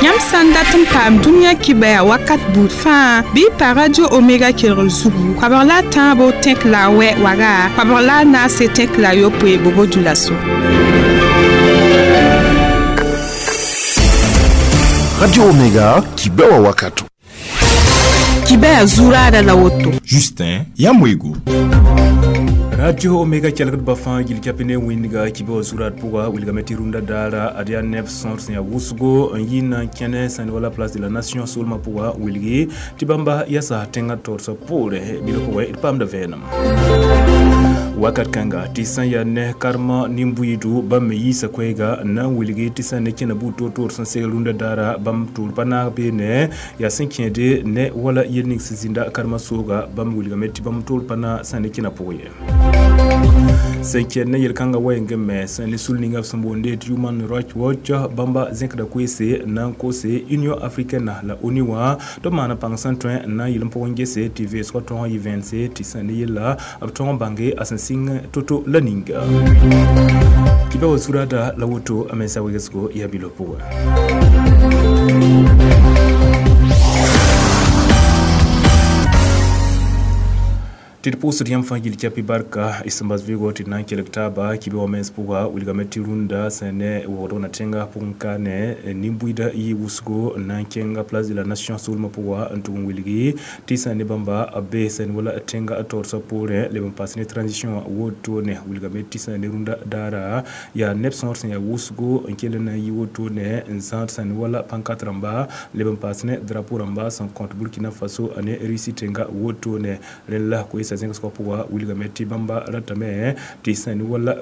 Yãmb sã n dat n paam dũniyã kibɛa wakat buud fãa bɩ y pa Radio Omega kelgr zugu koabg la a tãabo tẽk la a wɛ waga koabg la a naase tẽk la a yopoe bobo dioulasso. Radio Omega, kibɛwa wakato. Kibɛa zuraada la woto. Justin Yamwego. Radio Omega kelgdbã fãa gil kɛp ne wĩndga kibã wã zurad pʋga wilgame tɩ rũndã daara ad yaa neb sõor sẽn yaa wʋsgo n yi na n kẽne sãn wala Place de la Nation soolmã pʋga wilgi tɩ bãmba yasa tẽngã taoorsa poorẽ bilg pʋgẽ d paamda vẽenem wakat kãnga tɩ sã n yaa ne karema nin-buiidu bãmb me yiisa koɛɛga n na n wilgi tɩ sã n ne kẽna buud toor-toor sẽn segl rũndã daara bãmb tʋʋr pa naag beene yaa sẽn kẽede ne wala yel ning sẽn zĩnda karema sooga bãmb wilgame tɩ bãmb tʋʋr pa na sã n ne kẽna pʋgẽ ye. Sẽn kẽed ne yel-kãngã wɛɛngẽ me sẽn ne sul ninga b sẽn boonde tɩ Human Rights Watch bãmba zẽkda koeese n na n kose Union africaine la ONU wã tɩ b maana pãng sẽn tõe n na n yɩl n pʋgẽ gese tɩ vẽesgã tõog n yɩ vẽense tɩ sẽn ne yella b tõog n bãnge a sẽn sɩng to-to la ninga. Kibã wa zurada la woto a mensa wegesgo yaa bilf pʋgẽ. Tɩ d pʋʋsd yãmb fãa gil kɛpɩ barka y sẽn bas vɩɩgo tɩ d na n kelg taaba kibã wã mens pʋga wilgame tɩ rũndã sẽn ne waoodg na tẽngã pʋgẽ ka ne nin-buiidã yɩ wʋsgo n na n kẽnga Place de la Nation soolmã pʋga n tʋg n wilgi tɩ sã ne bãmba b be sẽn wala tẽngã taoorsa poorẽ leb n paas ne transition wã wotone wilgame tɩ sã ne rũndã daara yaa neb sõor sẽn yaa wʋsgo n kell n na n yɩ wotone n zãad sã ne wala pancarte rãmba leb n paas ne drapeau rãmba sẽn kõt Burkina Faso ane Russie tẽngã wotone rẽnd la koeesa zẽgsgã pʋga wilgame tɩ bãmba ratame tɩ sã ne wala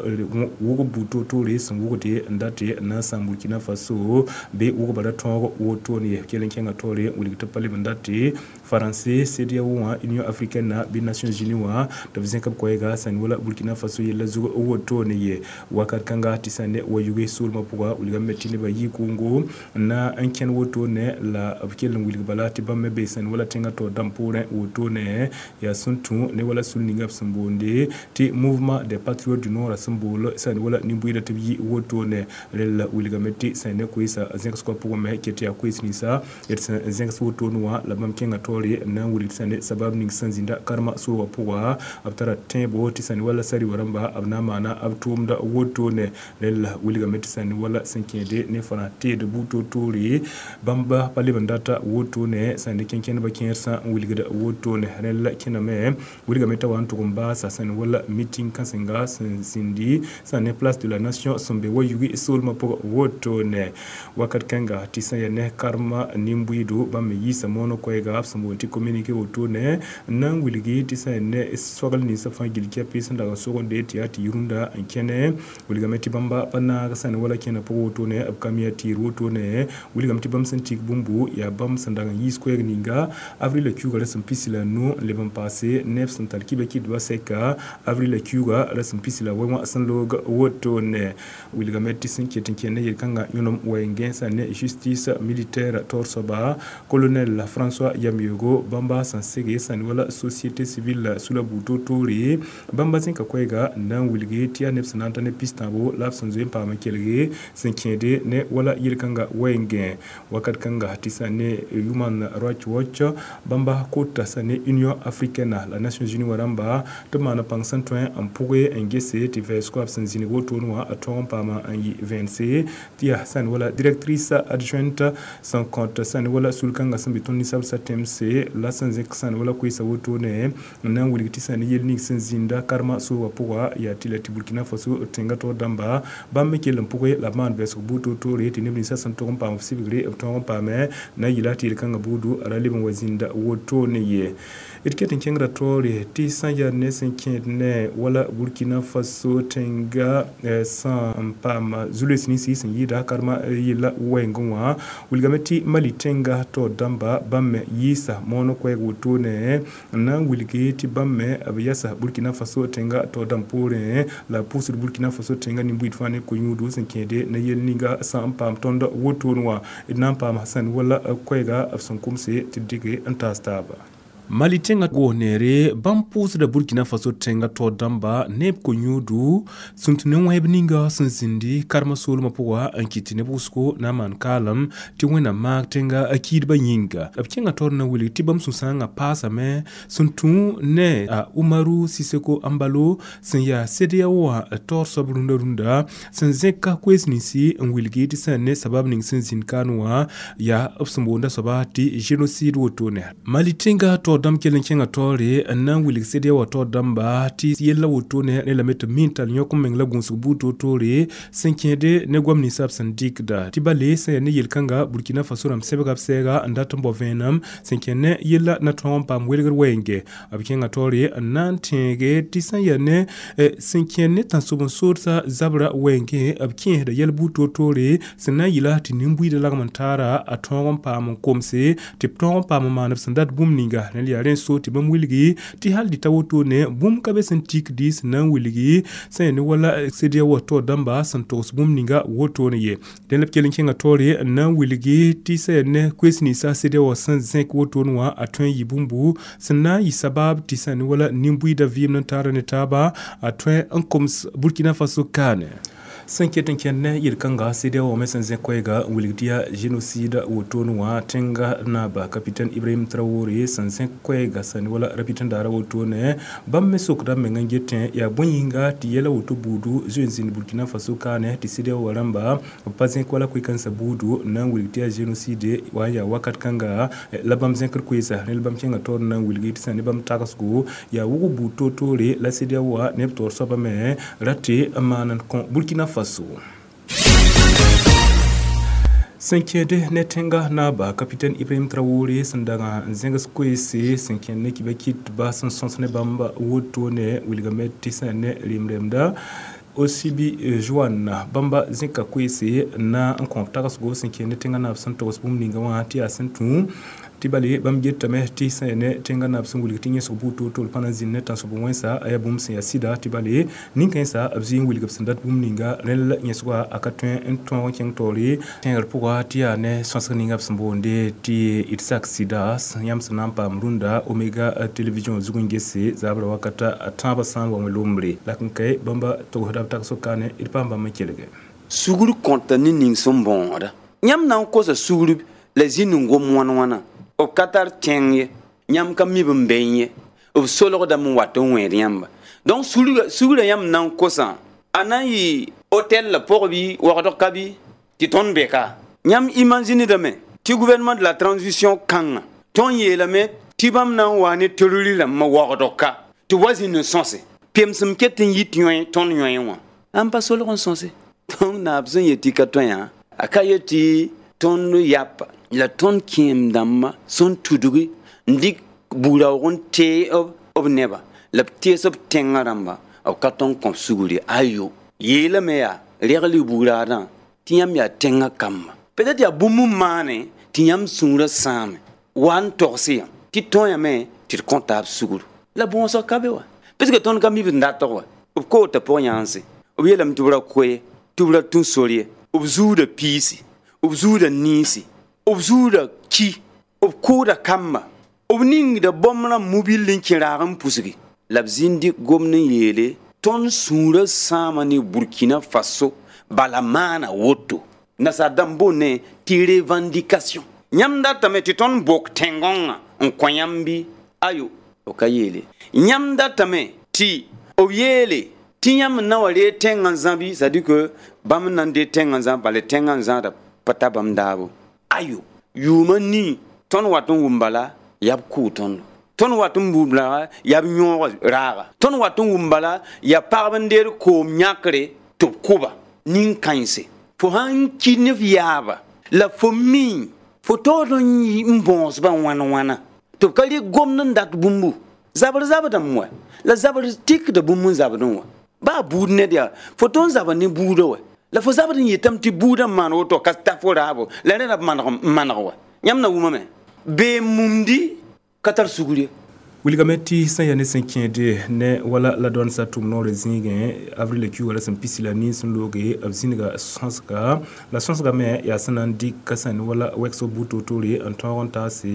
wʋgb buud toor-toore sẽn wʋgde n date n na n sãam Burkina Faso bɩ wʋgba ra tõog wotone ye kell n kẽngã taoore n wilg tɩ pa leb n date Français CEDEAO wã Union africaine bɩ Nations Unies wã tɩ b zẽk b koɛɛga sã ne wala Burkina Faso yella zug wotone ye wakat kãnga tɩ sã ne wa yuge soolmã pʋga wilgame tɩ nebã yɩ kʋʋngo n na n kẽn wotone la b kell n wilg bala tɩ bãmb me be sã ne wala tẽngã taoor dãmb poorẽ wotone yaa sẽn tũ ne wala sul ninga b sẽn boonde tɩ Mouvement des Patriotes du Nord sẽn bool sã ne wala nin-buiidã tɩ b yɩ wotone rel la wilgame tɩ sã ne koeesa zẽgsgã pʋgẽ me ket tɩ yaa koees ninsã d sẽn zẽgs wotone wã la bãmb kẽngã taoore n na n wilg sã ne sabab ning sẽn zĩnda karema soogã pʋga b tara tẽebo tɩ sã ne wala sariwa rãmba b na n maana b tʋʋmda wotone rel la wilgame tɩ sã ne wala sẽn kẽede ne fãa teed buud toor-toore bãmba pa leb n data wotone sã ne kẽnkẽndbã kẽersã n wilgda wotone rel la kẽname wilgame t'a wa n tʋg n baasa sã ne wala meeting kãsenga sẽn zĩndi sã ne Place de la Nation sẽn be wa yugi soolmã pʋgã wotone wakat kãnga tɩ sã yaa ne karema nin-buiidu bãmb me yiisa moonã koɛɛga b sẽn boond tɩ communiqué wotone n na n wilgi tɩ sã ne soagl ninsã fãa gil kɛpɩ sẽn dag n sogende tɩ yaa tɩ yɩ rũndã n kẽne wilgame tɩ bãmba pa naag sã ne wala kẽna pʋgã wotone b ka mi yaa tɩɩr wotone wilgame tɩ bãmb sẽn tik bũmbu yaa bãmb sẽn dag n yiis koɛɛg ninga avril kiuugã rasem pisi la nu n leb n paase neb sẽn tar kibã kɩdbã sɛka avril kiuugã rasem pisi la wɛ wã sẽn loog wotone wilgame tɩ sẽn ket n kẽnd ne yel-kãngã yõnem wɛɛngẽ sã ne justice militaire taoor soaba colonel François Yameogo bãmba sẽn sege sã ne wala société civile sula buud toor-toore bãmba zẽka koɛɛga n na n wilgi tɩ yaa neb sẽn na n ta ne pis-tãabo la b sẽn zoe n paam n kelge sẽn kẽede ne wala yel-kãngã wɛɛngẽ wakat kãnga tɩ sã ne Human Rights Watch bãmba kota sã ne Union africaine la Nations Unies wã rãmba tɩ b maana pãng sẽn tõe n pʋge n gese tɩ vɛɛsgo b sẽn zĩnig wotone wã a tõog n paama n yɩ vẽense tɩ yaa sã ne wala directrice adjointe sẽn kõt sã ne wala sul-kãngã sẽn be tõnd ninsabsã tẽmse la sẽn zẽk sã ne wala koeesa wotone n na n wilg tɩ sã ne yel ning sẽn zĩnda karema soogã pʋga yaa tɩ la tɩ Burkina Faso tẽngã taoor dãmba bãmb me kell n pʋge la b maan vɛɛsg buud toor-toore tɩ neb ninsã sẽn tʋg n paam b sɩbgre b tõog n paame na n yɩla tɩ yel-kãngã buudu a ra leb n wa zĩnda wotone ye. D ket n kẽngra taoore tɩ sã n yaa ne sẽn kẽed ne wala Burkina Faso tẽnga sã n paam zu-loees ninsi sẽn yɩɩda karema yella wɛɛngẽ wã wilgame tɩ Mali tẽnga taoor dãmba bãmb me yiisa moonã koɛɛg wotone n na n wilgi tɩ bãmb me b yasa Burkina Faso tẽnga taoor dãmb poorẽ la pʋʋsd Burkina Faso tẽnga nin-buiid fãa ne ko-yũudu sẽn kẽede ne yel ninga sã n paam tõnd wotone wã d na n paama sã n wala koɛɛga b sẽn komse tɩ d dɩke n taas taaba. Mali tẽngã goos neere bãmb pʋʋsda Burkina Faso tẽngã taoor dãmba ne b ko-yũudu sẽn tũ ne wẽb ninga sẽn zĩndi karema soolmã pʋga n kɩt tɩ neb wʋsgo na n maan kaalem tɩ Wẽnnaam maag tẽnga kiidbã yĩnga. B kẽngã taoor na wilg tɩ bãmb sũ-sãangã paasame sẽn tũ ne a Umaru Siseko Embalo sẽn yaa CEDEAO wã taoor soab rũndã rũndã sẽn zẽk koees ninsi n wilgi tɩ sẽn ne sabab ning sẽn zĩnd kaan wã yaa b sẽn boonda soaba tɩ génocide wotone. Mali tẽngã taoor dãmb kell n kẽngã taoore n na n wilg CEDEAO wã taoor dãmba tɩ yella wotone ne lame tɩ b min tall yõk n meng la gũusg buud toor-toore sẽn kẽede ne goam ninsab sẽn dɩkda tɩ bale sẽn yaa ne yel-kãnga Burkina Faso rãmb sɛbga b sɛɛga n dat n bao vẽenem sẽn kẽnd ne yella na tõog n paam welgr wɛɛnge. B kẽngã taoore n na n tẽege tɩ sẽn yaa ne sẽn kẽnd ne tãnsoben-soodsa zabra wɛɛngẽ b kẽesda yɛl buud toor-toore sẽn na n yɩla tɩ nin-buiidã lagem n taara a tõog n paam n komse tɩ b tõog n paam n maan b sẽn dat bũmb ninga. Rẽnd yaa rẽ so tɩ bãmb wilgi tɩ hal dɩ ta wotone bũmb ka be sẽn tikdi sẽn na n wilgi sẽn yaa ne wala CEDEAO wã taoor dãmba sẽn togs bũmb ninga wotone ye. Dẽn la b kell n kẽngã taoore n na n wilgi tɩ sẽn yaa ne koees ninsa CEDEAO wã sẽn zẽk wotone wã a tõe n yɩ bũmbu sẽn na n yɩ sabab tɩ sẽn ne wala nin-buiidã vɩɩm n taara ne taaba a tõe n koms Burkina Faso kaane. Sẽn ket n kẽnd ne yel-kãnga CEDEAO me sẽn zẽk koɛɛga n wilg tɩ yaa génocide wotone wã tẽnga naaba capitaine Ibrahim Traoré sẽn zẽk koɛɛga sẽn wala rapɩtẽndaara wotone bãmb me sokda b meng n getẽ yaa bõe yĩnga tɩ yɛla woto buudu zoe n zĩnd Burkina Faso kaane tɩ CEDEAO wã rãmba b pa zẽk wala koe-kãensã buudu n na n wilg tɩ yaa génocide wa n yaa wakat kãnga la bãmb zẽkr koeesa. Rẽnd bãmb kẽngã taoor n na n wilgi tɩ sẽn ne bãmb tagsgo yaa wʋg buud toor-toore la CEDEAO wã ne b taoor soabã me ra tɩ n maan n kõ Burkina Faso. Sẽn kẽede ne tẽnga naaba capitaine Ibrahim Traoré sẽn dag n zẽgs koeese sẽn kẽnd ne kɩba kɩtba sẽn sõs ne bãmb wotone wilgame tɩ sẽn ne rem-remda Osibi Joan bãmba zẽka koeese na n kõ tagsgo sẽn kẽnd ne tẽnga naab sẽn togs bũmb ninga wã tɩ yaa sẽn tũ tɩ bale bãmb getame tɩ sẽn ne tẽnga naab sẽn wilg tɩ yẽsg buud toor-toor pa na n zĩnd ne tãnsob wẽnsa a yaa bũmb sẽn yaa sɩda tɩ bale nin-kãensã b zɩ n wilg b sẽn dat bũmb ninga rẽnd la yẽsga a ka tõe n tõog n kẽng taoore tẽegr pʋga tɩ yaa ne sõsg ninga b sẽn boonde tɩ Isaac Sida yãmb sẽn na n paam rũndã Omega télévision zug n gese zabrã wakata tãabã sã n wa wẽ lombre la n kae bãmba togsda b tagsg kaane d paam bãmb n kelge. Sugr kõta ne ning sẽn bõoda yãmb na n kosa sugr la zĩnd n gom wãn-wãna b ka tar tẽng ye yãmb ka mi b n bee ye b solgdame n wat n wẽed yãmba. Donc sugrã yãmb na n kosã a na n yɩ hôtel la pʋg bɩ wagdg ka bɩ tɩ tõnd be ka yãmb imaginedame tɩ gouvernement de la transition kãngã tõnd yeelame tɩ bãmb na n wa ne terroriste rãmbã wagdg ka tɩ wa zĩnd n sõse pemsem ket n yit yõe tõnd yõe wã ãn pa solg n sõse. Donc naab sẽn yet tɩ ka tõe yã a ka yet tɩ tõnd yapa la tõnd kẽem dãmbã sẽn tudgi n dɩk buud-raoog n tee b neba la b tees b tẽngã rãmba b ka tõnd kõ sugr ye ayo yeelame yaa regl buud-raadã tɩ yãmb yaa tẽngã kamba peut-être yaa bũmb n maane tɩ yãmb sũurã sãame wa n togsɩ yã tɩ tõe tɩ d kõ taab sugr la bõosg ka be wa parce que tõnd ka mi b n datg wa b koota pʋg-yãanse b yeelame tɩ b ra koe tɩ b ra tũ sor ye b zuuda piisi b zuuda niisi b zuuda ki b kʋʋda kamba b ningda bõmb rãmb mobil n kẽ raag n pusgi la b zĩnd gomd n yeele tõnd sũurã sãama ne Burkina Faso bala maana woto nasaar dãmb boonde tɩ revendication yãmb datame tɩ tõnd bok tẽn-gõngã n kõ yãmb bɩ ayo b ka yeele yãmb datame tɩ b yeele tɩ yãmb n na wa reeg tẽngã zãbi c'est à dire que bãmb n na n deeg tẽngã zã bala tẽngã n zãada pa ta bãmb daabo ayo yʋʋmã nii tõnd wat n wʋm bala yaa b kʋʋ tõndo tõnd wat n wʋm bala yaa b yõog raaga tõnd wat n wʋm bala yaa pagb n deed koom yãkre tɩ b kʋba nin-kãense fo sãn ki ne f yaaba la fo mi fo taood n bõosbã wãn-wãna tɩ b ka rɩk gomd n dat bũmbu zabr zabdame wa la zabr tikda bũmb n zabdẽ wã baa buud ned yaa fo tõnd zabr ne buudã wa la fo zabd n yetame tɩ buudã n maan woto ka ta fo raabo la rẽ ra b maneg wa yãmb na wʋmame bee mumdi ka tar sugr ye. Wilgame tɩ sẽn yaa ne sẽn kẽede ne wala la dõn sa tʋm noorã zĩigẽ avril kiuugã la sẽn pisi la nin sẽn looge b zĩnga sõsga la sõsga me yaa sẽn na n dɩk sẽn ne wala wɛgsg buud toor-toore n tõog n taase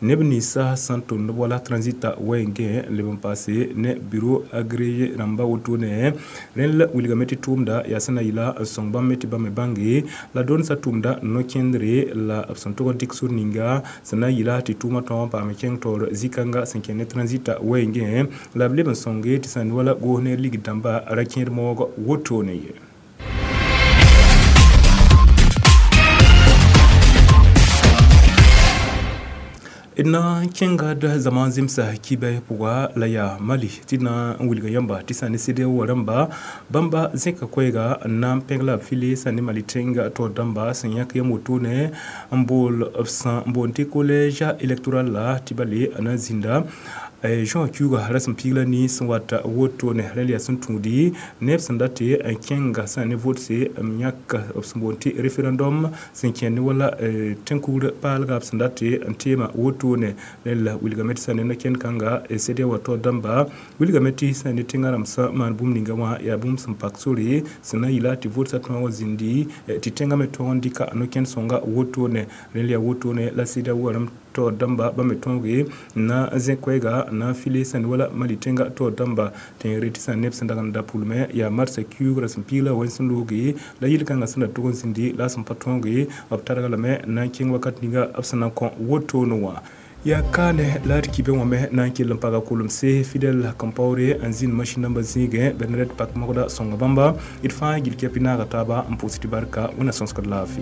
neb ninsã sẽn tʋmd wala transita wɛɛngẽ n leb n paase ne bureau agréé rãmba wotone rẽnd la wilgame tɩ tʋʋmda yaa sẽn na yɩla n sõng bãmb me tɩ bãmb me bãnge la dõn sa tʋmda no-kẽndre la b sẽn tʋg n dɩk sor ninga sẽn na n yɩla tɩ tʋʋmã tõog n paam kẽng taoor zĩ-kãnga sẽn kẽ ne transita wɛɛngẽ la b leb n sõnge tɩ sẽn wala goos ne ligd dãmba ra kẽed moog wotone ye. D na n kẽnga d zãma zemsa kibɛ pʋga la yaa Mali tɩ d na n wilga yãmba tɩ sã ne CEDEAO rãmba bãmba zẽka koɛɛga n na n pẽg la b file sã ne Mali tẽnga taoor dãmba sẽn yãk yam wotone n bool b sã n boond tɩ collège électoral la tɩ bale a na n zĩnda juã kiuugã ra sẽn piig la ni sẽn wat wotone rẽnd yaa sẽn tũudi neb sẽn dat tɩ n kẽnga sã ne votse n yãk b sẽn boond tɩ référendum sẽn kẽnd ne wala tẽn-kugr paalga b sẽn dat tɩ n teema wotone rẽnd la wilgame tɩ sã ne no-kẽnd kãnga CEDEAO taoor dãmba wilgame tɩ sã ne tẽngã rãmb sã maan bũmb ninga wã yaa bũmb sẽn pak sore sẽn na n yɩla tɩ votsã tõog n zĩndi tɩ tẽngã me tõog n dɩka no-kẽnd sõnga wotone rẽnd yaa wotone la CEDEAO rãmb taoor dãmba bãmb me tõoge n na n zẽ koɛɛga n na n file sẽn wala Mali tẽnga taoor dãmba tẽegre tɩ sã neb sẽn dag n da pʋlmẽ yaa marsã kiuug ra sẽn piig la wẽn sẽn looge la yel-kãngã sẽn da tʋg n zĩndi la a sẽn pa tõoge b targa lame n na n kẽng wakat ninga b sẽn na n kõ wotone wã. Yaa kaane la d kibẽ wã me na n kell n paga kolemse Fidel Compaoré n zĩnd masĩn nambã zĩigẽ Bernadette Pak-Mogda sõnga bãmba d fãa gil kɛpɩ naaga taaba n pʋʋs tɩ barka wẽnna sõsgd laafɩ.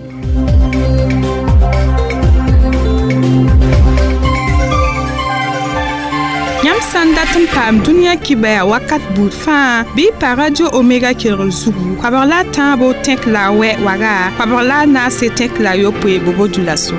Yãmb sã n dat n paam dũniyã kibɛa wakat buud fãa bɩ y pa Radio Omega kelgr zugu koabg la a tãabo tẽk la a wɛ waga koabg la a naase tẽk la a yopoe bobo dioulasso.